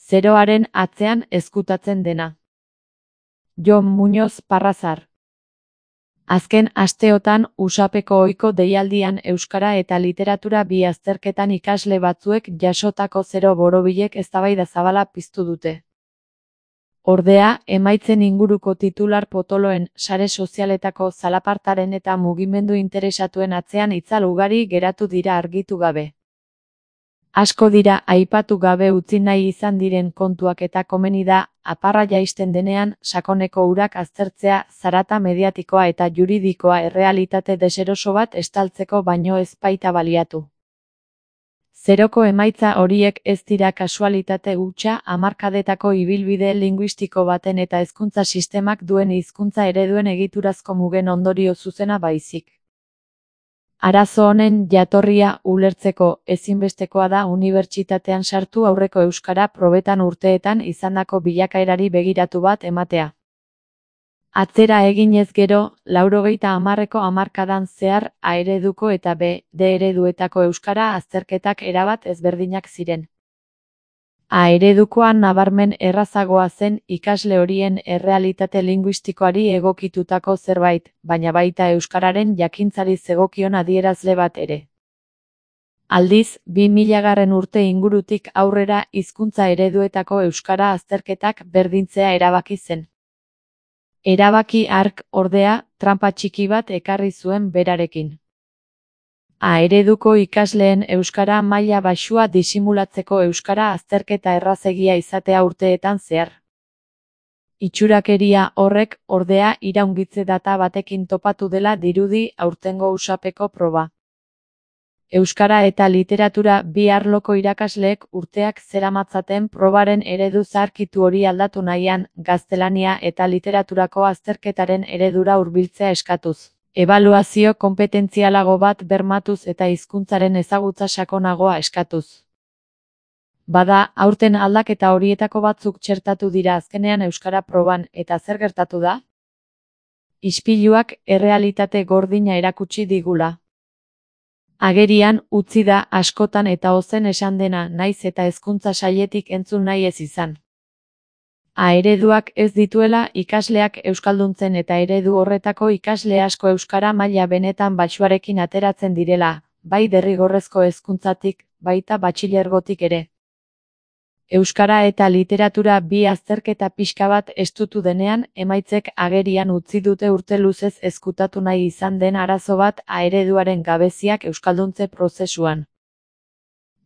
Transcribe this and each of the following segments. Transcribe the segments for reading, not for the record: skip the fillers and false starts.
Zeroaren atzean ezkutatzen dena. Jon Muñoz Parrazar. Azken asteotan USAPeko ohiko deialdian euskara eta literatura bi azterketan ikasle batzuek jasotako zero borobilek eztabaida zabala piztu dute. Ordea, emaitzen inguruko titular potoloen, sare sozialetako zalapartaren eta mugimendu interesatuen atzean itzal ugari geratu dira argitu gabe. Asko dira aipatu gabe utzi nahi izan diren kontuak eta komeni da, aparra jaisten denean, sakoneko urak aztertzea, zarata mediatikoa eta juridikoa errealitate deseroso bat estaltzeko baino ez baita baliatu. Zeroko emaitza horiek ez dira kasualitate hutsa hamarkadetako ibilbide linguistiko baten eta hezkuntza sistemak duen hizkuntza ereduen egiturazko mugen ondorio zuzena baizik. Arazo honen jatorria ulertzeko ezinbestekoa da unibertsitatean sartu aurreko euskara probetan urteetan izandako bilakaerari begiratu bat ematea. Atzera eginez gero, 90ko hamarkadan zehar A ereduko eta B, D ereduetako euskara azterketak erabat ezberdinak ziren. A eredukoan nabarmen errazagoa zen ikasle horien errealitate linguistikoari egokitutako zerbait, baina baita euskararen jakintzari zegokion adierazle bat ere. Aldiz, 2000 urte ingurutik aurrera hizkuntza ereduetako euskara azterketak berdintzea erabaki zen. Erabaki hark, ordea, tranpa txiki bat ekarri zuen berarekin. A ereduko ikasleen euskara maila baxua disimulatzeko euskara azterketa errazegia izatea urteetan zehar. Itxurakeria horrek, ordea, iraungitze data batekin topatu dela dirudi aurtengo USAPeko proba. Euskara eta literatura bi arloko irakasleek urteak zeramatzaten probaren eredu zaharkitu hori aldatu nahian, gaztelania eta literaturako azterketaren eredura hurbiltzea eskatuz. Ebaluazio konpetentzialago bat bermatuz eta hizkuntzaren ezagutza sakonagoa eskatuz. Bada, aurten aldaketa horietako batzuk txertatu dira azkenean euskara proban, eta zer gertatu da? Ispiluak errealitate gordina erakutsi digula. Agerian utzi da askotan eta ozen esan dena naiz eta hezkuntza sailetik entzun nahi ez izan. A ereduak ez dituela ikasleak euskalduntzen eta eredu horretako ikasle asko euskara maila benetan baxuarekin ateratzen direla, bai derrigorrezko hezkuntzatik, baita batxilergotik ere. Euskara eta literatura bi azterketa pixka bat estutu denean, emaitzek agerian utzi dute urte luzez ezkutatu nahi izan den arazo bat A ereduaren gabeziak euskalduntze prozesuan.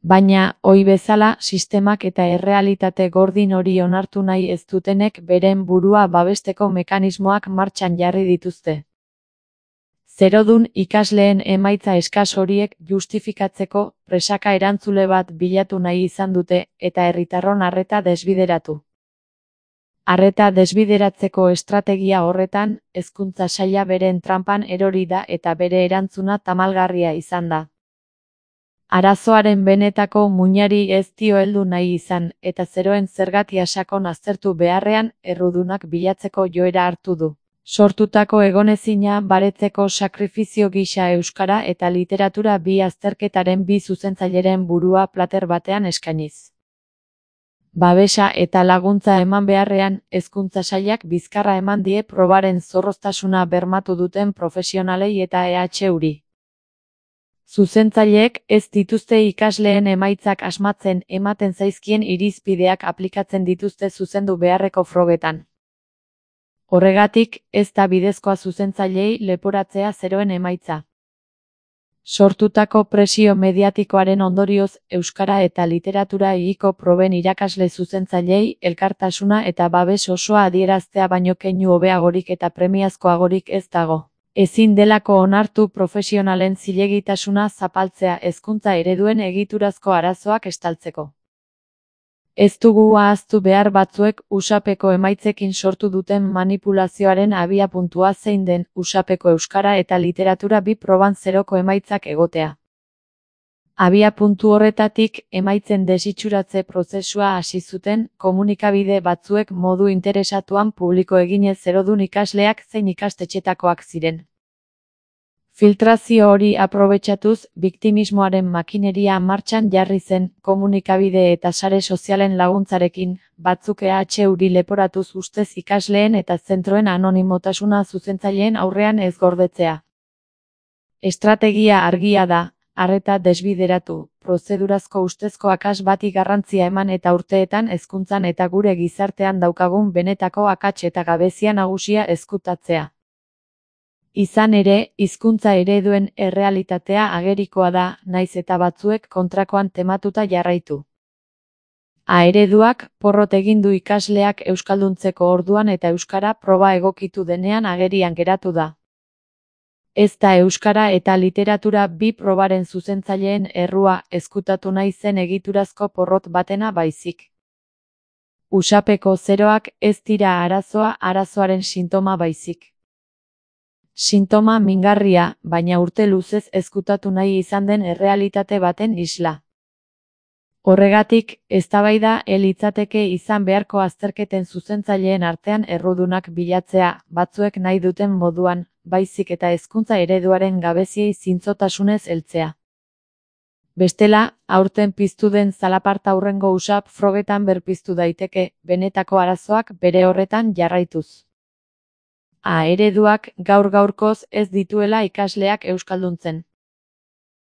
Baina, ohi bezala, sistemak eta errealitate gordin hori onartu nahi ez dutenek beren burua babesteko mekanismoak martxan jarri dituzte. Zerodun ikasleen emaitza eskas horiek justifikatzeko presaka erantzule bat bilatu nahi izan dute eta herritarron arreta desbideratu. Arreta desbideratzeko estrategia horretan, hezkuntza saila beren tranpan erori da eta bere erantzuna tamalgarria izan da. Arazoaren benetako muinari ez dio heldu nahi izan eta zeroen zergatia sakon aztertu beharrean errudunak bilatzeko joera hartu du. Sortutako egonezina baretzeko sakrifizio gisa euskara eta literatura bi azterketaren bi zuzentzaileren burua plater batean eskainiz. Babesa eta laguntza eman beharrean, hezkuntza sailak bizkarra eman die probaren zorroztasuna bermatu duten profesionalei eta EHUri. Zuzentzaileek ez dituzte ikasleen emaitzak asmatzen ematen zaizkien irizpideak aplikatzen dituzte zuzendu beharreko frogetan. Horregatik, ez da bidezkoa zuzentzaileei leporatzea zeroen emaitza. Sortutako presio mediatikoaren ondorioz, euskara eta literatura egiko proben irakasle zuzentzaileei elkartasuna eta babes osoa adieraztea baino keinu hobeagorik eta premiazkoagorik ez dago. Ezin delako onartu profesionalen zilegitasuna zapaltzea hezkuntza ereduen egiturazko arazoak estaltzeko. Ez dugu ahaztu behar batzuek USAPeko emaitzekin sortu duten manipulazioaren abiapuntua zein den USAPeko euskara eta literatura bi proban zeroko emaitzak egotea. Abiapuntu horretatik emaitzen desitxuratze prozesua hasi zuten komunikabide batzuek modu interesatuan publiko eginez zerodun ikasleak zein ikastetxetakoak ziren. Filtrazio hori aprobetxatuz, biktimismoaren makineria martxan jarri zen, komunikabide eta sare sozialen laguntzarekin, batzuk EHuri leporatuz ustez ikasleen eta zentroen anonimotasuna zuzentzaileen aurrean ez gordetzea. Estrategia argia da, arreta desbideratu, prozedurazko ustezko akats bati garrantzia eman eta urteetan hezkuntzan eta gure gizartean daukagun benetako akats eta gabezia nagusia ezkutatzea. Izan ere, hizkuntza ereduen errealitatea agerikoa da, nahiz eta batzuek kontrakoan tematuta jarraitu. Ereduak porrot egin du ikasleak euskalduntzeko orduan eta euskara proba egokitu denean agerian geratu da. Ez da euskara eta literatura bi probaren zuzentzaileen errua ezkutatu nahi zen egiturazko porrot batena baizik. Usapeko zeroak ez dira arazoa, arazoaren sintoma baizik. Sintoma mingarria, baina urte luzez ezkutatu nahi izan den errealitate baten isla. Horregatik, eztabaida litzateke izan beharko azterketen zuzentzaileen artean errudunak bilatzea, batzuek nahi duten moduan, baizik eta hezkuntza ereduaren gabeziei zintzotasunez heltzea. Bestela, aurten piztu den zalaparta hurrengo usap frogetan berpiztu daiteke, benetako arazoak bere horretan jarraituz. Ereduak gaur-gaurkoz ez dituela ikasleak euskalduntzen.